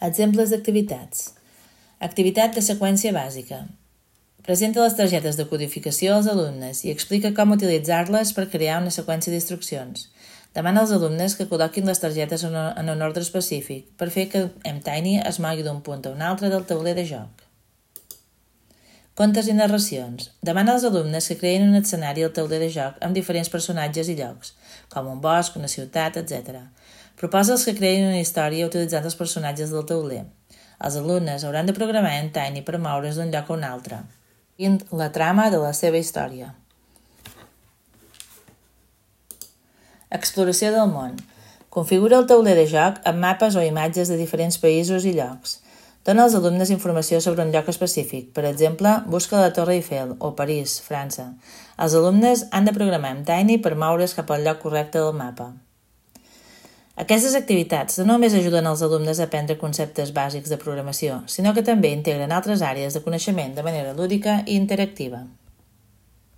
Exemples d'activitats. Activitat de seqüència bàsica. Presenta les targetes de codificació als alumnes i explica com utilitzar-les per crear una seqüència d'instruccions. Demana als alumnes que col·loquin les targetes en un ordre específic per fer que mTiny es mogui d'un punt a un altre del tauler de joc. Contes i narracions. Demana als alumnes que creïn un escenari al tauler de joc amb diferents personatges i llocs, com un bosc, una ciutat, etc. Proposa'ls que creïn una història utilitzant els personatges del tauler. Els alumnes hauran de programar mTiny per moure's d'un lloc a un altre, seguint la trama de la seva història. Exploració del món. Configura el tauler de joc amb mapes o imatges de diferents països i llocs. Dona als alumnes informació sobre un lloc específic, per exemple, busca la Torre Eiffel o París, França. Els alumnes han de programar mTiny per moure's cap al lloc correcte del mapa. Aquestes activitats no només ajuden als alumnes a aprendre conceptes bàsics de programació, sinó que també integren altres àrees de coneixement de manera lúdica i interactiva.